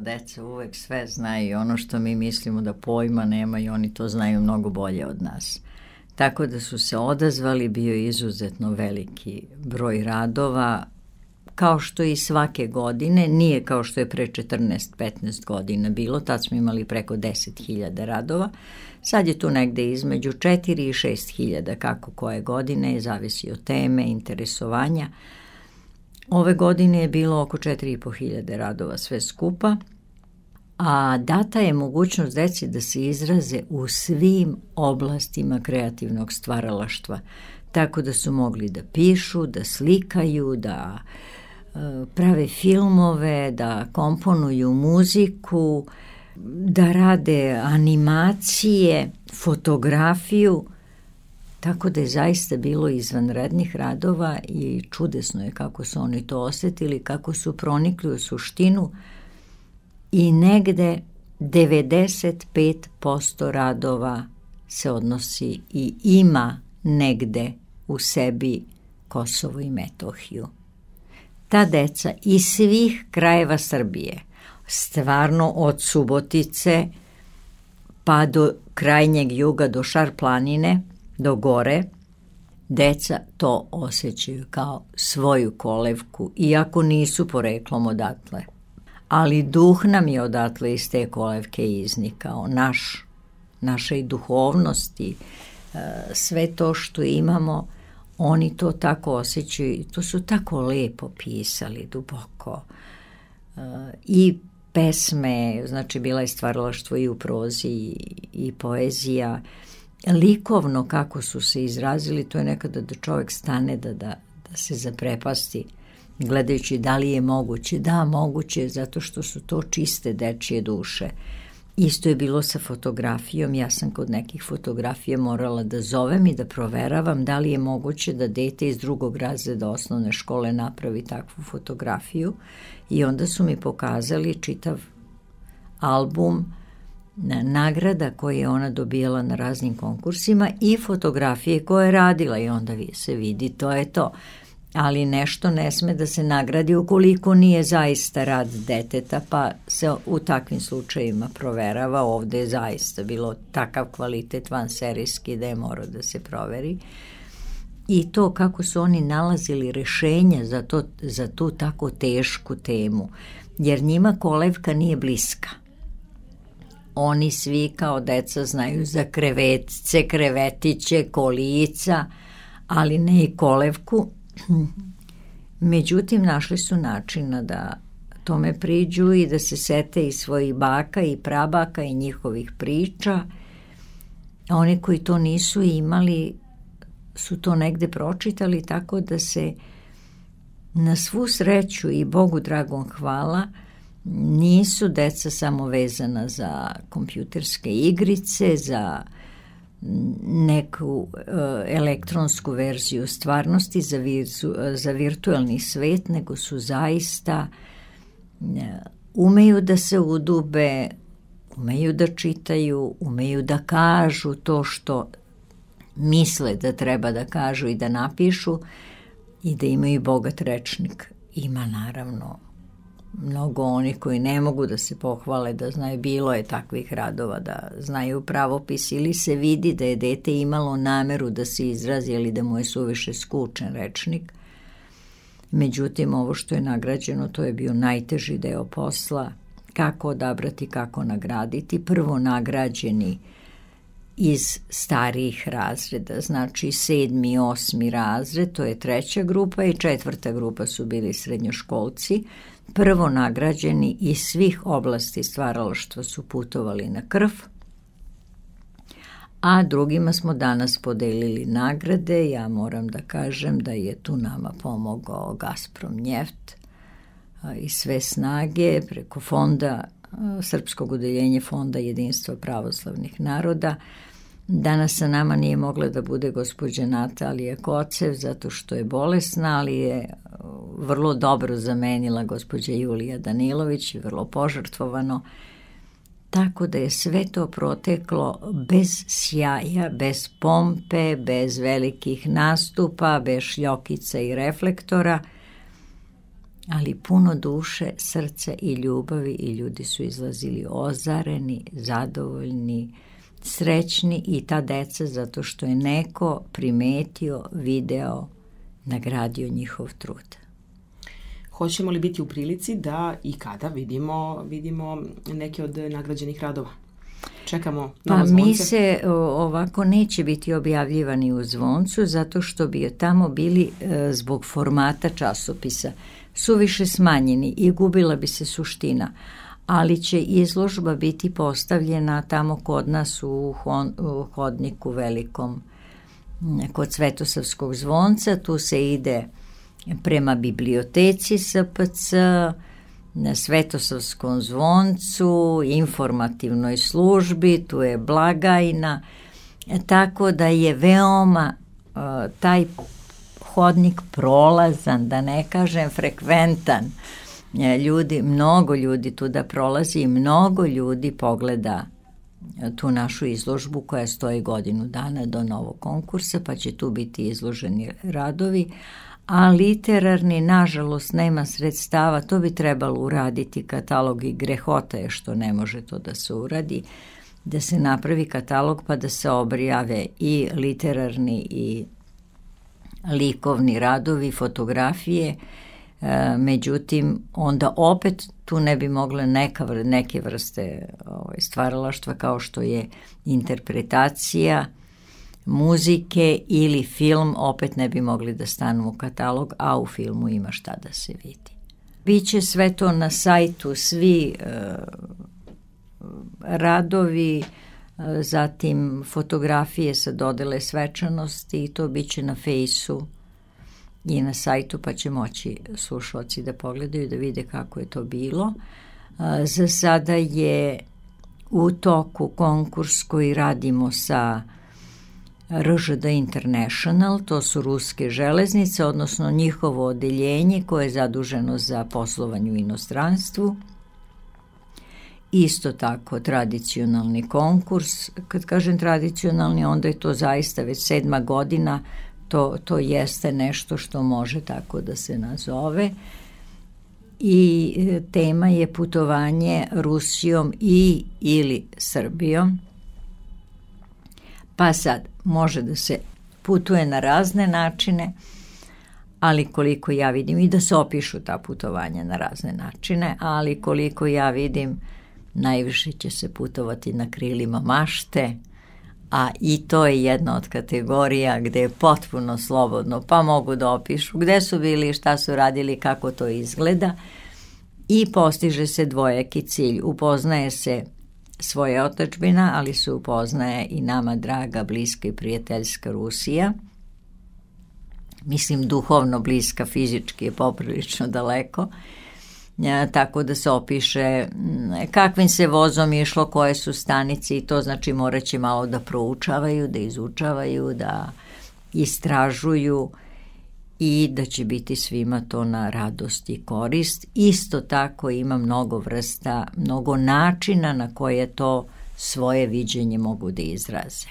deca uvek sve znaju, ono što mi mislimo da pojma nemaju, oni to znaju mnogo bolje od nas. Tako da su se odazvali, bio je izuzetno veliki broj radova, kao što i svake godine, nije kao što je pre 14-15 godina bilo, tad smo imali preko 10.000 radova, sad je tu negde između 4 i 6.000, kako koje godine, zavisi od teme, interesovanja. Ove godine je bilo oko 4.500 radova sve skupa, a data je mogućnost deci da se izraze u svim oblastima kreativnog stvaralaštva, tako da su mogli da pišu, da slikaju, da prave filmove, da komponuju muziku, da rade animacije, fotografiju, tako da je zaista bilo izvanrednih radova i čudesno je kako su oni to osetili, kako su pronikli u suštinu i negde 95% radova se odnosi i ima negde u sebi Kosovo i Metohiju. Ta deca iz svih krajeva Srbije, stvarno od Subotice pa do krajnjeg juga, do Šar planine, do gore, deca to osjećaju kao svoju kolevku, iako nisu poreklom odatle. Ali duh nam je odatle iz te kolevke iznikao, naše i duhovnosti, sve to što imamo, oni to tako osjećaju i to su tako lepo pisali, duboko. I pesme, znači bila je stvaralaštvo i u prozi i poezija, likovno kako su se izrazili, to je nekada da čovjek stane da se zaprepasti gledajući da li je moguće. Da, moguće, zato što su to čiste dečije duše. Isto je bilo sa fotografijom, ja sam kod nekih fotografija morala da zovem i da proveravam da li je moguće da dete iz 2. razreda osnovne škole napravi takvu fotografiju i onda su mi pokazali čitav album nagrada koje je ona dobijala na raznim konkursima i fotografije koje je radila i onda se vidi, to je to. Ali nešto ne sme da se nagradi ukoliko nije zaista rad deteta, pa se u takvim slučajima proverava. Ovde je zaista bilo takav kvalitet vanserijski da je morao da se proveri. I to kako su oni nalazili rešenja za tu tako tešku temu, jer njima kolevka nije bliska. Oni svi kao deca znaju za krevetce, krevetiće, kolica, ali ne i kolevku. Međutim, našli su načina da tome priđu i da se sete i svojih baka i prabaka i njihovih priča. A oni koji to nisu imali su to negde pročitali, tako da se na svu sreću i Bogu dragom hvala nisu deca samo vezana za kompjuterske igrice, za neku elektronsku verziju stvarnosti, za virtualni svet, nego su zaista umeju da se udube, umeju da čitaju, umeju da kažu to što misle da treba da kažu i da napišu i da imaju bogat rečnik. Ima naravno mnogo onih koji ne mogu da se pohvale da znaju, bilo je takvih radova da znaju pravopis ili se vidi da je dete imalo nameru da se izrazi ili da mu je suviše skučen rečnik. Međutim, ovo što je nagrađeno, to je bio najteži deo posla, kako odabrati, kako nagraditi. Prvo nagrađeni iz starijih razreda, znači 7. i 8. razred, to je 3. grupa i 4. grupa su bili srednjoškolci. Prvo nagrađeni iz svih oblasti stvaralaštva su putovali na Krf, a drugima smo danas podelili nagrade. Ja moram da kažem da je tu nama pomogao Gazprom Njeft i sve snage preko fonda, Srpskog odeljenja Fonda jedinstva pravoslavnih naroda. Danas sa nama nije mogla da bude gospođa Natalija Kocev zato što je bolesna, ali je vrlo dobro zamenila gospođa Julija Danilović i vrlo požrtvovano. Tako da je sve to proteklo bez sjaja, bez pompe, bez velikih nastupa, bez šljokica i reflektora, ali puno duše, srca i ljubavi i ljudi su izlazili ozareni, zadovoljni, srećni i ta deca zato što je neko primetio, video, nagradio njihov trud. Hoćemo li biti u prilici da i kada vidimo neke od nagrađenih radova? Čekamo Novo Zvonce. Mi se ovako neće biti objavljivani u Zvoncu zato što bi tamo bili zbog formata časopisa suviše smanjeni i gubila bi se suština, ali će izložba biti postavljena tamo kod nas u hodniku velikom kod Svetosavskog zvonca. Tu se ide prema biblioteci SPC, na Svetosavskom zvoncu, informativnoj službi, tu je blagajna, tako da je veoma taj hodnik prolazan, da ne kažem frekventan. Mnogo ljudi tu da prolazi i mnogo ljudi pogleda tu našu izložbu koja stoji godinu dana do novog konkursa, pa će tu biti izloženi radovi, a literarni, nažalost, nema sredstava, to bi trebalo uraditi katalog i grehota je što ne može to da se uradi, da se napravi katalog pa da se objave i literarni i likovni radovi, fotografije, međutim, onda opet tu ne bi mogle neke vrste stvaralaštva kao što je interpretacija, muzike ili film, opet ne bi mogli da stanu u katalog, a u filmu ima šta da se vidi. Biće sve to na sajtu, svi radovi, zatim fotografije sa dodele svečanosti i to biće na fejsu i na sajtu, pa će moći slušalci da pogledaju, da vide kako je to bilo. Za sada je u toku konkurs koji radimo sa RŽD International, to su ruske železnice, odnosno njihovo odeljenje koje je zaduženo za poslovanje u inostranstvu. Isto tako tradicionalni konkurs, kad kažem tradicionalni, onda je to zaista već 7. godina, to jeste nešto što može tako da se nazove. I tema je putovanje Rusijom ili Srbijom. Pa sad, može da se putuje na razne načine, ali koliko ja vidim, i da se opišu ta putovanja na razne načine, ali koliko ja vidim, najviše će se putovati na krilima mašte, a i to je jedna od kategorija gde je potpuno slobodno, pa mogu da opišu gde su bili, šta su radili, kako to izgleda i postiže se dvojaki cilj. Upoznaje se svoja otadžbina, ali se upoznaje i nama draga, bliska i prijateljska Rusija. Mislim, duhovno bliska, fizički je poprilično daleko, tako da se opiše kakvim se vozom išlo, koje su stanice i to znači morat će malo da proučavaju, da izučavaju, da istražuju i da će biti svima to na radost i korist. Isto tako ima mnogo vrsta, mnogo načina na koje to svoje viđenje mogu da izraze.